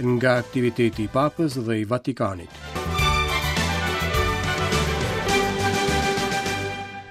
Nga aktiviteti i Papës dhe i Vatikanit.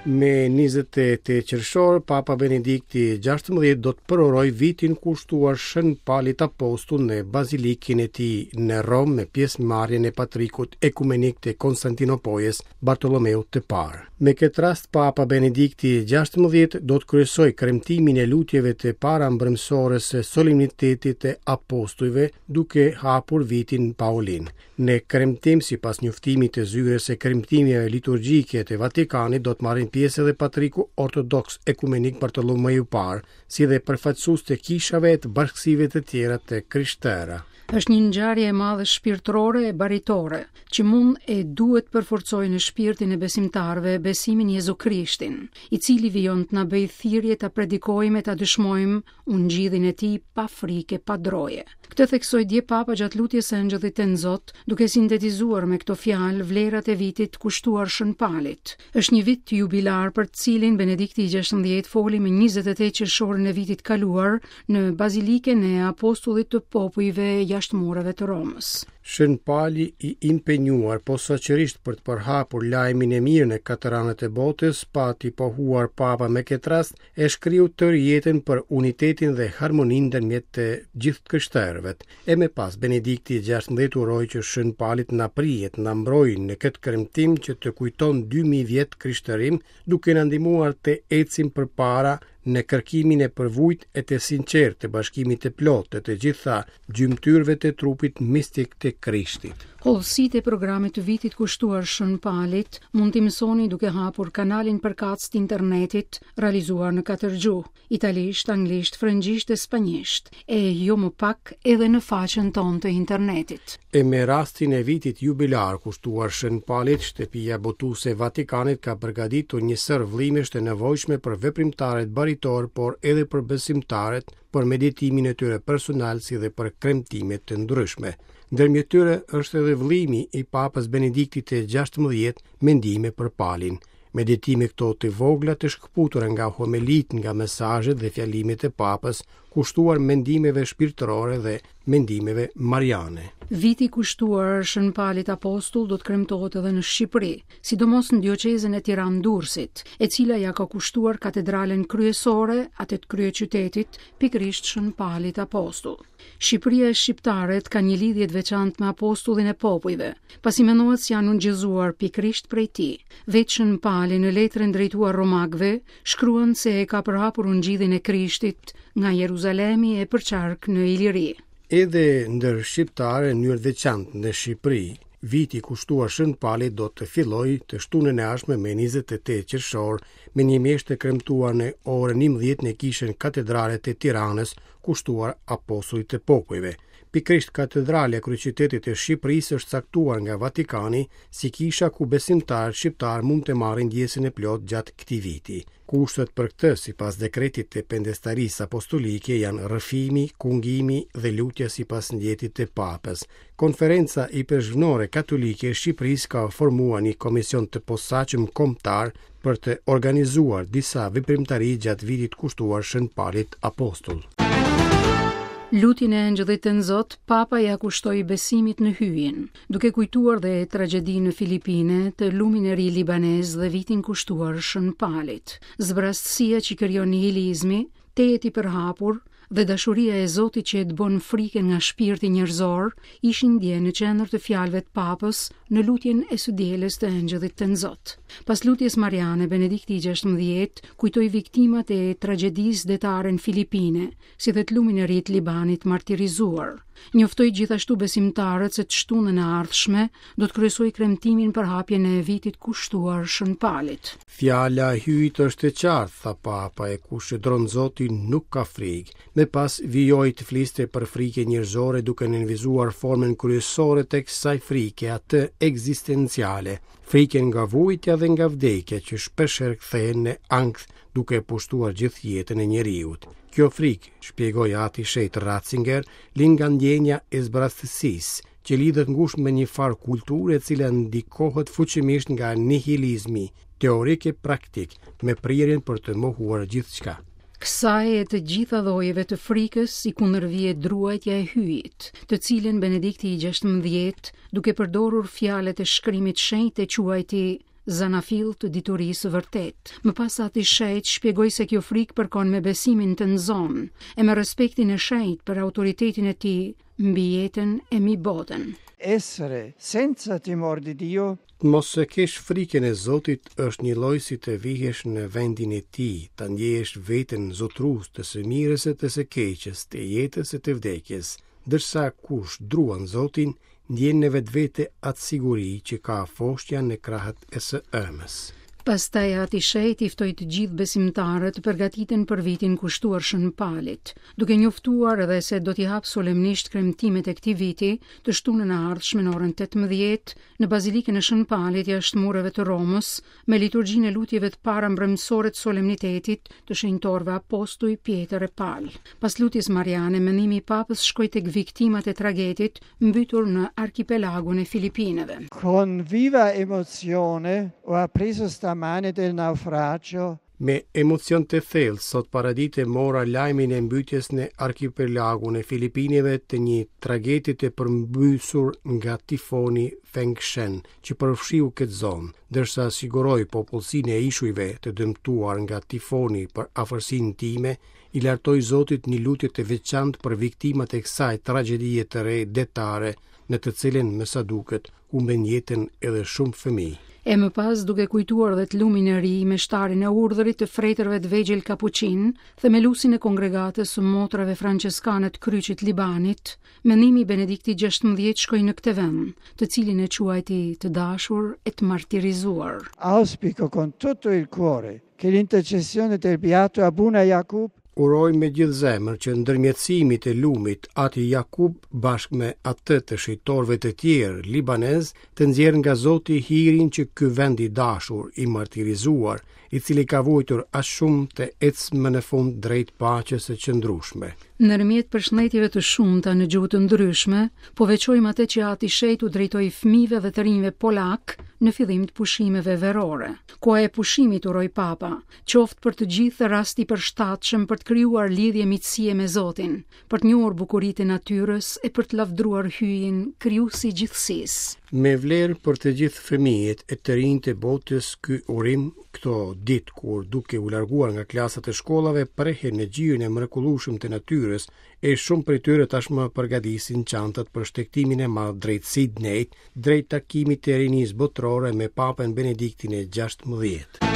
Me 28 qershor, Papa Benedikti XVI do të përurojë vitin kushtuar Shën Palit Apostull në Bazilikën e tij në Romë me pjesëmarrjen e Patrikut Ekumenik të Konstantinopojës, Bartolomeut të Parë. Me këtë rast Papa Benedikti XVI do të kryesojë kremtimin e lutjeve të para mbrëmësores së solemnitetit të apostujve duke hapur vitin Paulin. Në kremtim, sipas njoftimit të zyrës së kremtimeve liturgjike të Vatikanit, do të marrin pjesë edhe Patriku Ortodoks Ekumenik Bartolomeu i Parë, si dhe përfaqësues të kishave e të bashkësive të tjera të krishtera. Është një ngjarje e madhe shpirtërore e baritore, që mund e duhet të përforcojë në shpirtin e besimtarëve besimin Jezu Krishtin, i cili vijon të na bëjë thirrje ta predikojmë e ta dëshmojmë ungjillin e tij pa frikë e pa droje. Këtë theksoi dje Papa gjatë lutjes së Engjëllit Tenzot, duke sintetizuar me këto fjalë vlerat e vitit kushtuar Shën Palit. Është një vit jubilar për të cilin Benedikti i XVI foli më 28 qershorin e vitit kaluar në Bazilikën e Apostullit të Popujve jashtë mureve të Romës. Shën Pali i impenjuar posaçërisht për të përhapur lajmin e mirë në katër anët e botës, pati pohuar Papa me këtë rast, e shkriu tërë jetën për unitetin dhe harmoninë ndërmjet të gjithë të krishterëve. E më pas Benedikti i XVI uroi që Shën Pali të na prijë, të na mbrojë në këtë kremtim që të kujton 2000 vjet krishterim, duke na ndihmuar të ecim përpara në kërkimin e përvujtë e të sinqertë të bashkimit të plotë të të gjitha gjymtyrëve të trupit mistik të Krishtit. Hollësitë e programit të vitit kushtuar Shën Palit mund t'i mësoni duke hapur kanalin përkatës të internetit, realizuar në katër gjuhë, italisht, anglisht, frëngjisht e spanjisht, e jo më pak edhe në faqen tonë të internetit. E me rastin e vitit jubilar kushtuar Shën Palit, Shtëpia Botuese e Vatikanit ka përgatitur një sërë vëllimesh të nevojshme për veprimtarët baritorë, por edhe për besimtarët, për meditimin e tyre personal si dhe për kremtime të ndryshme. Ndërmjet tyre është edhe vëllimi i Papës Benediktit të XVI, Mendime për Palin. Meditime këto të vogla të shkëputura nga homelitë, nga mesazhet dhe fjalimet e Papës, kushtuar mendimeve shpirtërore dhe mendimeve mariane. Viti kushtuar Shën Palit Apostull do të kremtohet edhe në Shqipëri, sidomos në dioqezën e Tiranë-Durrësit, e cila ia ka kushtuar katedralen kryesore, atë të kryeqytetit, pikërisht Shën Palit Apostull. Shqipëria e shqiptarët kanë një lidhje të veçantë me apostullin e popujve, pasi mendohet se janë ungjillëzuar pikërisht prej tij. Vetë Shën Pali në letrën drejtuar romakëve shkruan se e ka përhapur ungjillin e Krishtit nga Jeruzalemi e përqark në Iliri. Edhe ndër shqiptarë në mënyrë të veçantë në Shqipëri, viti i kushtuar Shën Palit do të fillojë të shtunën e ardhshme me 28 qershor me një meshë të kremtuar në orën 11 në kishën katedrale të Tiranës, kushtuar apostullit të popujve. Pikërisht katedralja e kryeqytetit të Shqipërisë është caktuar nga Vatikani si kisha ku besimtarët shqiptarë mund të marrin ndjesën e plotë gjatë këtij viti. Kushtet për këtë, sipas dekretit të Pendestarisë Apostolike, janë rrëfimi, kungimi dhe lutja sipas ndjetit të Papës. Konferenca Ipeshkvnore Katolike e Shqipërisë ka formuar një komision të posaçëm kombëtar për të organizuar disa veprimtari gjatë vitit kushtuar Shën Palit Apostull. Lutjen e Engjëllit Tenzot, Papa ia kushtoi besimit në Hyjin, duke kujtuar dhe tragjedinë në Filipine, të lumin e ri libanez dhe vitin kushtuar Shën Palit. Zbrazësia që krijon nihilizmi, tejet i përhapur, dhe dashuria e Zotit që e dëbon frikën nga shpirti njerëzor, ishin dje në qendër të fjalëve të Papës në lutjen e së dielës të Engjëllit Tenzot. Pas lutjes mariane, Benedikti i XVI kujtoi viktimat e tragjedisë detare në Filipine, si dhe të lumin e ri të Libanit martirizuar. Njoftoi gjithashtu besimtarët se të shtunën e ardhshme do të kryesojë kremtimin për hapjen e vitit kushtuar Shën Palit. Fjala e Hyjit është e qartë, tha Papa, e kush qëndron në Zotin nuk ka frikë. Më pas vijoi të fliste për frikën njerëzore duke nënvizuar formën kryesore të kësaj frike, atë ekzistenciale, frikën nga vuajtja dhe nga vdekja që shpeshherë kthehen në ankth duke pushtuar gjithë jetën e njeriut. Kjo frikë, shpjegoi Ati i Shenjtë Ratzinger, lind nga ndjenja e zbrazësisë, që lidhet ngushtë me një farë kulture e cila ndikohet fuqimisht nga nihilizmi teorik e praktik, me prirjen për të mohuar gjithçka. Kësaj e të gjitha llojeve të frikës i kundërvihet druajtja e Hyjit, të cilën Benedikti i XVI, duke përdorur fjalët e shkrimit shenjt e quajti zanafillë të diturisë së vërtetë. Më pas Ati i Shenjtë shpjegoi se kjo frikë përkon me besimin tënzon e me respektin e shenjtë për autoritetin e tij mbi jetën e mbi botën. Essere senza timor di Dio. Të mos e kesh frikën e Zotit është njëlloj si të vihesh në vendin e Tij, ta ndjesh veten zotërues të së mirës e të së keqes, të jetës e të vdekjes, ndërsa kush druan Zotin, ndjen në vetvete atë siguri që ka foshnja në krahët e së ëmës. Pastaj Ati i Shenjtë i ftoi të gjithë besimtarët të përgatiten për vitin kushtuar Shën Palit, duke njoftuar edhe se do t'i hapë solemnisht kremtimet e këtij viti të shtunën e ardhshme në orën 18 në Bazilikën e Shën Palit jashtë mureve të Romës, me liturgjinë e lutjeve të para mbrëmësore të solemnitetit të shenjtorëve apostuj Pjetër e Pal. Pas lutjes mariane, mendimi i Papës shkoi tek viktimat e tragetit mbytur në arkipelagun e Filipineve. Con viva emozione ho appreso stamane del naufragio Me emocion të thellë, sot paradite mora lajmin e mbytjes në arkipelagun e Filipineve të një trageti të përmbysur nga tifoni Fengshen, që përfshiu këtë zonë, ndërsa siguroj popullsinë e ishujve të dëmtuar nga tifoni për afërsinë time, i lartoj Zotit një lutje të veçantë për viktimat e kësaj tragjedie të re detare, në të cilën, me sa duket, humbën jetën edhe shumë fëmijë. E më pas duke kujtuar dhe të lumin e ri, meshtarin e urdhrit të fretërve të vegjël kapuçin, themeluesin e kongregatës së motrave françeskane të Kryqit Libanit, mendimi i Benediktit XVI shkoi në këtë vend, të cilin e quajti të dashur e të martirizuar. Auspico con tutto il cuore che l'intercessione del beato Abuna Jakub Uroj me gjithë zemër që ndërmjetësimi i lumit Ati Jakub bashkë me atë të shenjtorëve të tjerë libanezë të nxjerrë nga Zoti hirin që ky vend i dashur, i martirizuar, i cili ka vuajtur aq shumë të ecë më në fund drejt paqes së qëndrueshme. Ndërmjet përshëndetjeve të shumta në gjuhë të ndryshme, po veçojmë atë që Ati i Shenjtë u drejtoi fëmijëve dhe të rinjve polakë në fillim të pushimeve verore. Koha e pushimit, uroi Papa, qoftë për të gjithë rast i përshtatshëm për të krijuar lidhje miqësie me Zotin, për të njohur bukuritë e natyrës e për të lavdëruar Hyjin, krijues i gjithësisë. Me vlerë për të gjithë fëmijët e të rinjtë e botës ky urim këto ditë kur duke u larguar nga klasat e shkollave prehen në gjirin e mrekullueshëm të natyrës e shumë prej tyre tashmë përgatisin çantat për shtegtimin e madh drejt Sidneyt, drejt takimit të rinisë botërore me Papën Benediktin e XVI.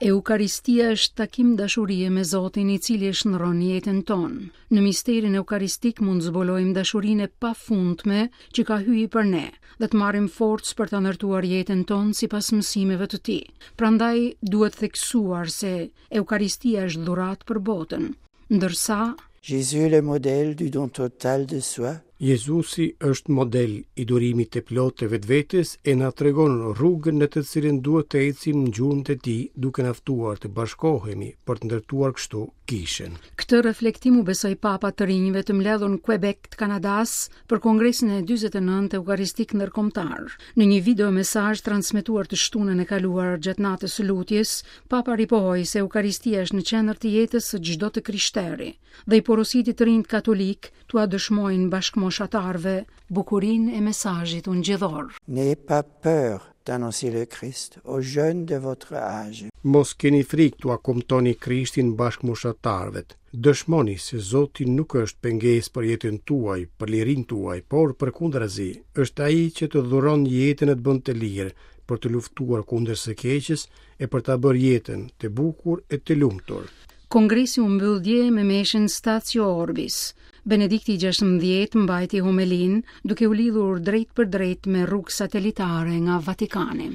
Eukaristia është takim dashurie me Zotin i cili e shndërron jetën tonë. Në misterin eukaristik mund të zbulojmë dashurinë e pafundme që ka Hyji për ne dhe të marrim forcë për ta ndërtuar jetën tonë sipas mësimeve të tij. Prandaj duhet theksuar se Eukaristia është dhuratë për botën, ndërsa Jésus le modèle du don total de soi. Jezusi është model i dhurimit të plotë të vetvetes e na tregon rrugën në të cilën duhet të ecim në gjurmët e tij, duke na ftuar të bashkohemi për të ndërtuar kështu kishën. Këtë reflektim u besoi Papa të rinjve të mbledhur në Quebec të Kanadasë për Kongresin e 49 Eukaristik Ndërkombëtar. Në një video mesazh transmetuar të shtunën e kaluar gjatë natës së lutjes, Papa ripohoi se Eukaristia është në qendër të jetës së çdo të krishteri dhe i porositi të rinjtë katolikë t'ua dëshmojnë bashkëmoshatarëve bukurinë e mesazhit ungjillor. N'ayez pas peur d'annoncer le Christ aux jeunes de votre âge. Mos keni frikë t'ua kumtoni Krishtin bashkëmoshatarëve. Dëshmoni se Zoti nuk është pengesë për jetën tuaj, për lirinë tuaj, por përkundrazi, është ai që të dhuron jetën e të bën të lirë, për të luftuar kundër së keqes e për ta bërë jetën të bukur e të lumtur. Kongresi u mbyll dje me meshën Statio Orbis. Benedikti i XVI mbajti homelinë duke u lidhur drejtpërdrejt me rrugë satelitare nga Vatikani.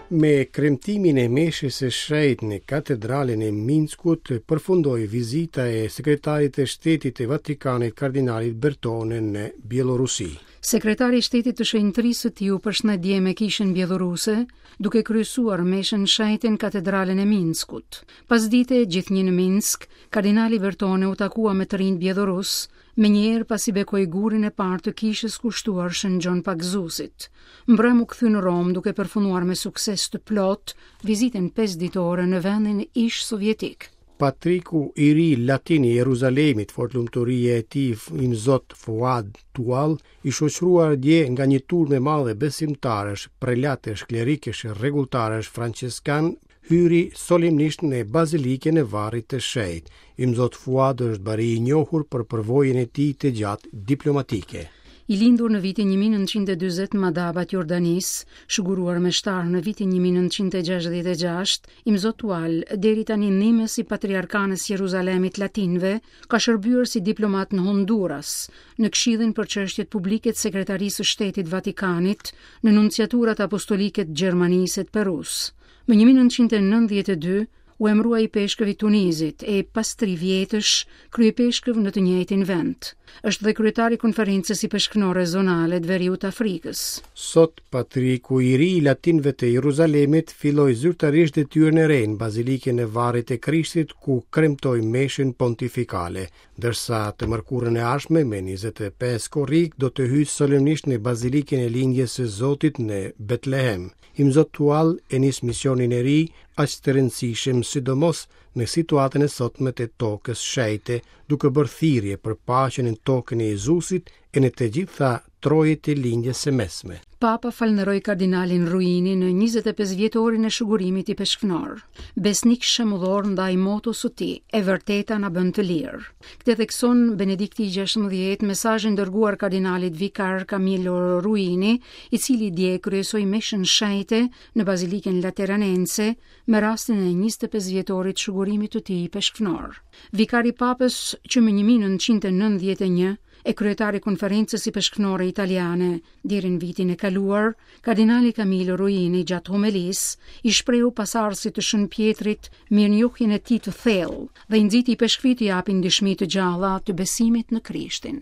Me kremtimin e meshës së shenjtë në katedralen e Minskut përfundoi vizita e sekretarit të shtetit të Vatikanit kardinalit Bertone në Bjellorusi. Sekretari i Shtetit të Shenjtërisë së Tij u përshëndet dje me Kishën Bjelloruse, duke kryesuar meshën shenjte në Katedralen e Minskut. Pasdite, gjithnjë në Minsk, kardinali Bertone u takua me të rinjtë bjellorusë, menjëherë pasi bekoi gurin e parë të kishës kushtuar Shën Gjon Pagëzuesit. Mbrëmë u kthye në Romë duke përfunduar me sukses të plotë vizitën pesëditore në vendin ish-sovjetik. Patriku i ri latin i Jeruzalemit, Fortlumturia e tij Imzot Fuad Tual, i shoqëruar dje nga një turmë e madhe besimtarësh, prelatësh, klerikësh e rregulltarësh françeskanë, hyri solemnisht në Bazilikën e Varrit të Shenjtë. Imzot Fuad është bari i njohur për përvojën e tij të gjatë diplomatike. I lindur në vitin 1940 në Madaba të Jordanisë, shuguruar meshtar në vitin 1966, Imzot Tual, deri tani ndihmës i Patriarkanës Jeruzalemit Latinëve, ka shërbyer si diplomat në Honduras, në Këshillin për Çështjet Publike të Sekretarisë së Shtetit Vatikanit, në Nunciaturat Apostolike të Gjermanisë e të Perusë. Më 1992 u emërua ipeshkëv i Tunizit e pas tri vjetësh kryepeshkëv në të njëjtin vend. Është dhe kryetar i Konferencës Ipeshkvnore Zonale të Veriut të Afrikës. Sot, Patriku i ri i latinëve të Jeruzalemit filloi zyrtarisht detyrën e re në Bazilikën e Varrit të Krishtit ku kremtoi meshën pontifikale, ndërsa të mërkurën e ardhshme me 25 korrik do të hyjë solemnisht në Bazilikën e Lindjes së Zotit në Betlehem. Imzot Tual e nis misionin e ri aq të rëndësishëm sidomos në situatën e sotme të tokës shenjte, duke bërë thirrje për paqen në tokën e Jezusit e në të gjitha trojet e Lindjes së Mesme. Papa falënderoi kardinalin Ruini në 25 vjetorin e shugurimit ipeshkvnor. Besnik shembullor ndaj motos së tij, e vërteta na bën të lirë. Këtë thekson Benedikti i 16 mesazhin dërguar kardinalit vikar Camillo Ruini, i cili dje kryesoi meshën shenjte në Bazilikën Lateranense me rastin e 25 vjetorit shugurimit të tij ipeshkvnor. Vikar i Papës që më 1991 e kryetar i Konferencës Ipeshkvnore Italiane deri në vitin e kaluar, kardinali Camillo Ruini gjatë homelisë i shprehu pasardhësit të Shën Pjetrit mirënjohjen e tij të thellë dhe i nxiti ipeshkvijtë të japin dëshmi të gjalla të besimit në Krishtin.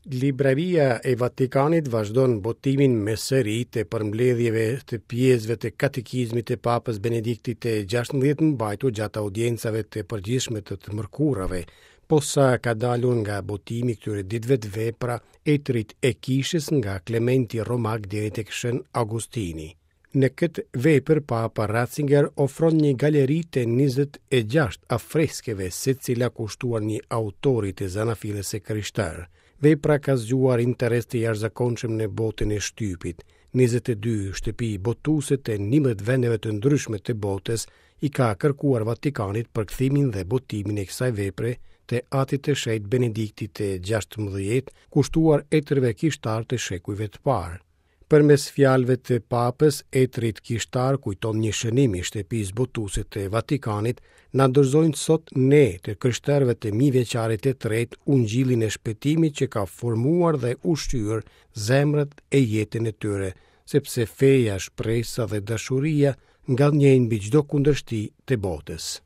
Libraria e Vatikanit vazhdon botimin me seri të përmbledhjeve të pjesëve të katekizmit të Papës Benediktit të 16 mbajtur gjatë audiencave të përgjithshme të të mërkurave, posa ka dalur nga botimi këtyre ditëve të vepra Etërit e Kishës nga Klementi Romak deri tek Shën Augustini. Në këtë vepër Papa Ratzinger ofron një galeri të 26 afreskeve, secila kushtuar një autori të zanafillës së krishterë. Vepra ka zgjuar interes të jashtëzakonshëm në botën e shtypit. 22 shtëpi botuese të 11 vendeve të ndryshme të botës i ka kërkuar Vatikanit përkthimin dhe botimin e kësaj vepre të Atit të Shenjtë Benediktit të 16, kushtuar etërve kishtarë të shekujve të parë. Përmes fjalëve të Papës, etërit kishtarë, kujton një shënim i shtëpisë botuese të Vatikanit, na dorëzojnë sot ne të krishterëve të mijëvjeçarit të tretë ungjillin e shpëtimit që ka formuar dhe ushqyer zemrat e jetën e tyre, sepse feja, shpresa dhe dashuria ngadhënjejnë mbi çdo kundërshti të botës.